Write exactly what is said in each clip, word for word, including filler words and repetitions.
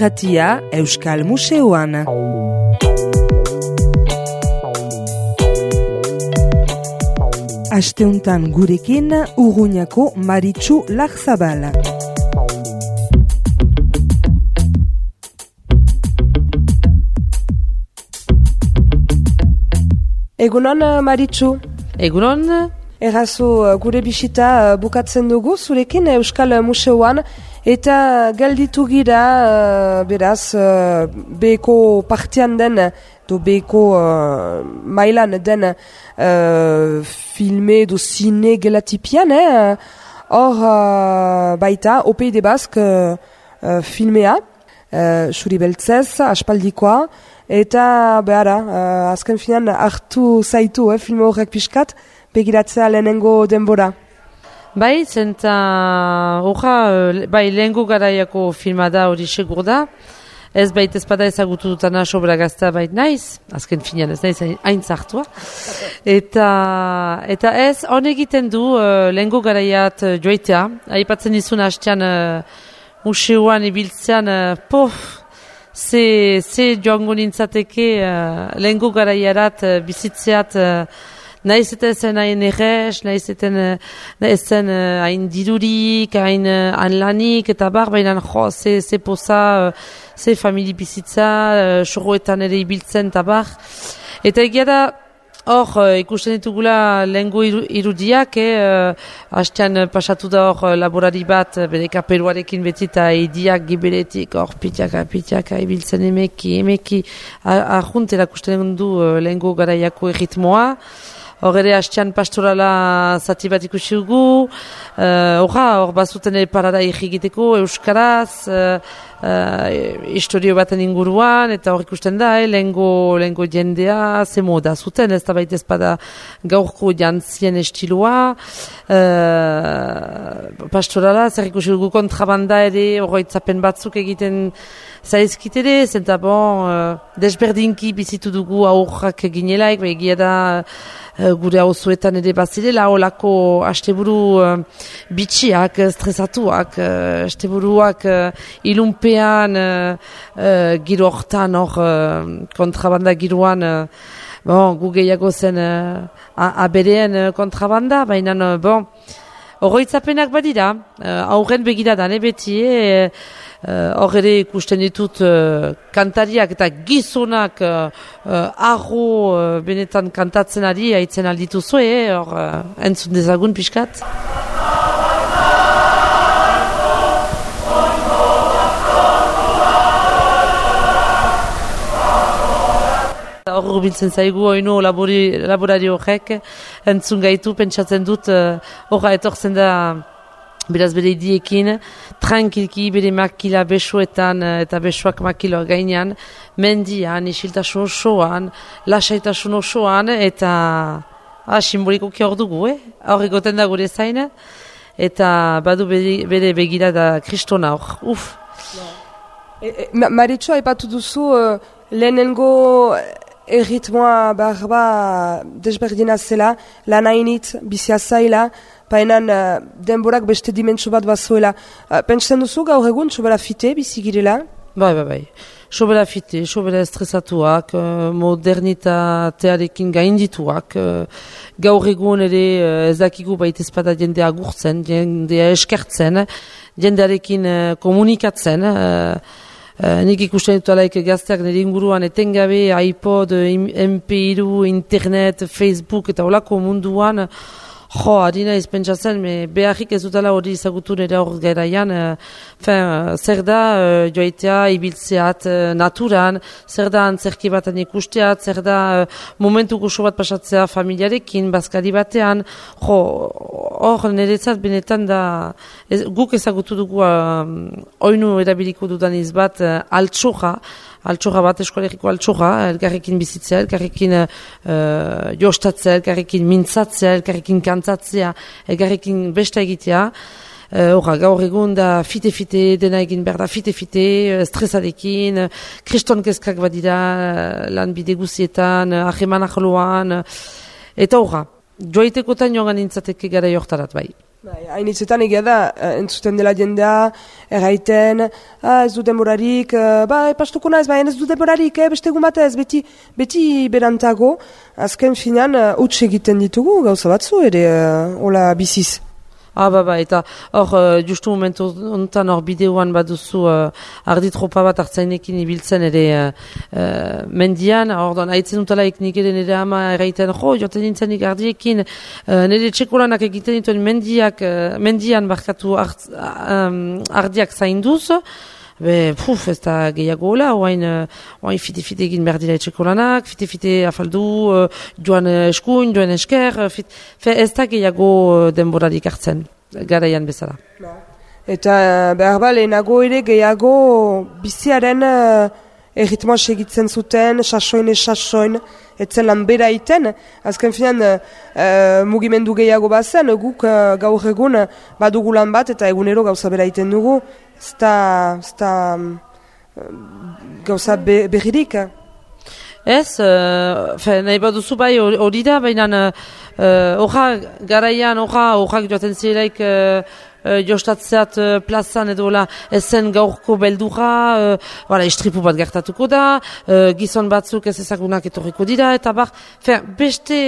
irratia Euskal Museoan. Asteuntan gurekin Urruñako Maritxu Larzabal. Egunon, Maritxu. Egunon. Errazu, gure bisita bukatzen dugu zurekin Euskal Museoan eta galditu gira, beraz, beheko partean den, do beheko uh, mailan den uh, filme do zine gelatipian, eh? Hor uh, baita, O P I de Bask uh, uh, filmea, uh, Xuri Beltzez, aspaldikoa, eta behara, uh, azken finan hartu zaitu, eh, filme horrek pixkat, begiratzea lehenengo denbora. Bai, zenta horra, bai, lehengo garaiako filma da hori segur da. Ez baita ezpada ezagutu dutana sobra gazta bait naiz, azken finean ez naiz hain zartua. Eta, eta ez, hon egiten du uh, lehengo garaiat uh, joitea. Aipatzen izun hastean uh, museoan ibiltzean, uh, pof, ze, ze joango nintzateke uh, lehengo garaiarat uh, bizitzeat uh, Naiz eta ezen hain errez, naiz eta ezen hain dirurik, hain anlanik, eta bar, baina jo, ze, ze poza, ze famili bizitza, sorroetan ere ibiltzen, eta bar. Eta egia da, hor, ikusten ditugula lehengo irudiak, eh, hastean pasatu da hor laborari bat, bere kapeluarekin beti eta idiak giberetik, hor, pitiaka, pitiaka, ibiltzen emeki, emeki, ahunt erakusten du lehengo garaiako erritmoa. Hor ere hastean pastorala zati bat ikusi dugu, horra, uh, hor bazuten ere parada egiteko euskaraz, uh, uh, historio baten inguruan, eta hor ikusten da, eh, lehengo, lehengo jendea, ze moda zuten, ez da baita ezpada gaurko jantzien estiloa, uh, pastorala, zer ikusi dugu kontrabanda ere, horroitzapen batzuk egiten zaizkit ere, zenta bon, uh, desberdinki bizitu dugu aurrak ginelaik, egia da, Uh, gure hauzuetan ere bazirela, olako asteburu uh, bitxiak, stresatuak, uh, asteburuak uh, ilunpean, uh, uh, giro hortan, hor, uh, kontrabanda giroan, uh, bon, gu gehiago zen uh, abereen uh, kontrabanda, baina, uh, bon, horroitzapenak badira, uh, aurren begiradan, eh, beti, eh, hor uh, ere ikusten ditut uh, kantariak eta gizonak uh, uh, arro uh, benetan kantatzen ari haitzen aldituzu, eh, hor uh, entzun dezagun pixkat. Hor urbiltzen zaigu oino labori, laborari horrek entzun gaitu, pentsatzen dut horra uh, etortzen da beraz bere idiekin, tranquilki bere makila besoetan eta besoak makilo gainean, mendian, isiltasun osoan, lasaitasun osoan, eta ah, simbolikoki hor dugu, eh? Hor egoten da gure zain, eta badu bere, bere begira da kristona hor, uf. E, e, Maritxu, haipatu duzu, uh, lehenengo erritmoa barba desberdina zela, lan hainit, bizia zaila, painan uh, denborak beste dimentsu bat bazuela. Uh, Pentsen duzu gaur egun sobera fite bizigirela? Bai, bai, bai. Sobera fite, sobera estresatuak, uh, modernitatearekin gaindituak. Uh, gaur egun ere uh, ez dakigu baita ezpada jendea agurtzen, jendea eskertzen, jendearekin uh, komunikatzen. Uh, Uh, nik ikusten dut alaik gazteak nire inguruan etengabe, iPod, M P hiru, internet, Facebook eta olako munduan, jo, harina izpentsatzen, me beharrik ez dutala hori izagutu nire hor garaian, uh, fin, zer da uh, joaitea ibiltzeat uh, naturan, zer da antzerki baten ikusteat, zer da uh, momentu goxo bat pasatzea familiarekin, bazkari batean, jo, hor niretzat benetan da, ez, guk ezagutu dugu uh, oinu erabiliko dudan izbat uh, altxorra, altxorra bat, eskolegiko altxorra, elkarrekin bizitzea, elkarrekin uh, jostatzea, elkarrekin mintzatzea, elkarrekin kantatzea, elkarrekin besta egitea. Horra, uh, gaur egun da fite-fite, dena egin behar da fite-fite, uh, stresadekin, uh, kriston kezkak badira, uh, lan bide guzietan, uh, aheman ahloan, uh, eta horra, joaitekotan joan nintzateke gara jortarat bai. Bai, hainitzetan egia da, entzuten dela jendea, erraiten, ah, ez du demorarik, ba, epastuko naiz, ba, ez du demorarik, eh, beste egun batez, beti, beti berantago, azken finan, huts egiten ditugu, gauza batzu, ere, hola biziz. Ah, ba, ba, eta hor, uh, justu momentu ontan hor bideoan baduzu uh, arditropa bat hartzainekin ibiltzen ere uh, uh, mendian, hor don, haitzen dutalaik nik ere nire ama erraiten, jo, joten nintzen nik ardiekin, uh, nire txekolanak egiten dituen mendiak, uh, mendian barkatu art, um, ardiak zainduz, be, puf, ez da gehiago hola, oain, oain fite-fite egin behar dira etxeko lanak, fite-fite afaldu, uh, joan eskuin, joan esker, fit, fe, ez da gehiago denborarik hartzen, garaian bezala. Eta behar ba, lehenago ere gehiago biziaren uh, erritmoa segitzen zuten, sasoin ez sasoin, etzen lan bera iten, azken finan uh, mugimendu gehiago bazen, guk uh, gaur egun badugu lan bat eta egunero gauza bera iten dugu, ez da gauza be, berririk. Ez, uh, fe, nahi baduzu bai hori da, baina horra uh, garaian, horra horrak joaten zirelaik uh, uh, jostatzeat uh, plazan edo la ezen gaurko beldura, uh, wala, istripu bat gertatuko da, uh, gizon batzuk ez ezagunak etorriko dira, eta bar, fe, beste,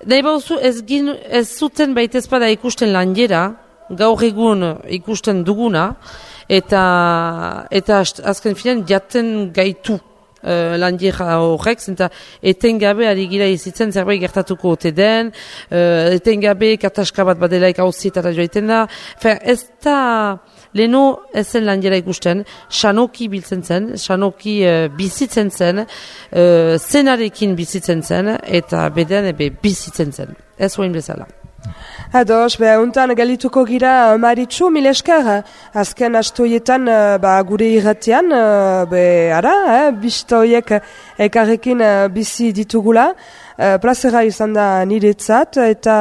nahi baduzu ez, gin, ez zuten baitezpada ikusten lanjera, gaur egun ikusten duguna, eta, eta azken finan jaten gaitu. Uh, landiera horrek, zenta etengabe ari gira izitzen zerbait gertatuko ote den, uh, etengabe kataska bat badelaik hauzietara joaiten da. Fer, ez da leno ez zen landiera ikusten, sanoki biltzen zen, sanoki uh, bizitzen zen, uh, zenarekin bizitzen zen, eta beden ebe bizitzen zen. Ez hoin bezala. Ados, beha, untan galituko gira Maritxu, mil esker, azken astoietan ba, gure irratian, be, ara, eh, bistoiek ekarrekin bizi ditugula, uh, plazera izan da niretzat, eta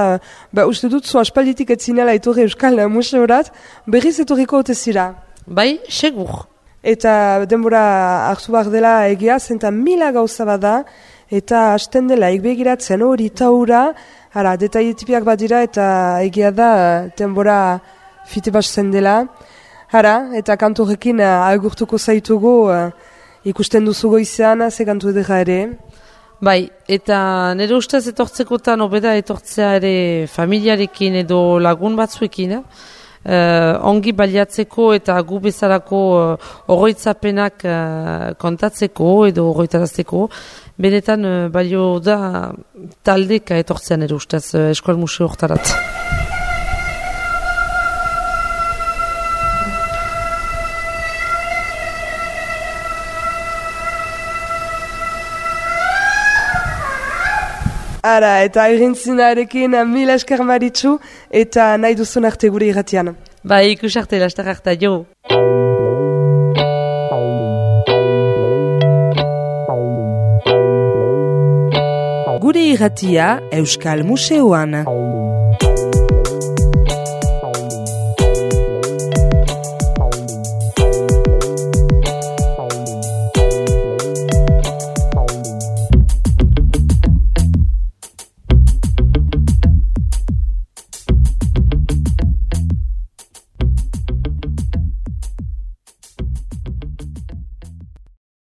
ba, uste dut zu aspalditik etzinela etorri Euskal Museorat, berriz etorriko otezira. Bai, segur. Eta denbora hartu behar dela egia, zenta mila gauza bada, eta hasten dela ekbegiratzen hori taura, hara, detailetipiak badira eta egia da denbora fite batzen dela. Hara, eta kantorekin uh, agurtuko zaitugu uh, ikusten duzugo izan, ze kantu edera ere. Bai, eta nire ustez etortzekotan obeda etortzea ere familiarekin edo lagun batzuekin, Uh, ongi baliatzeko eta gu bezalako uh, oroitzapenak uh, kontatzeko edo oroitarazteko, benetan uh, balio da taldeka etortzean ere ustez uh, Euskal Museo hortarat. Ara, eta irintzinarekin mila esker Maritxu, eta nahi duzun arte gure irratian. Bai, ikus arte, lastar harta, jo. Gure irratia Euskal Museoan.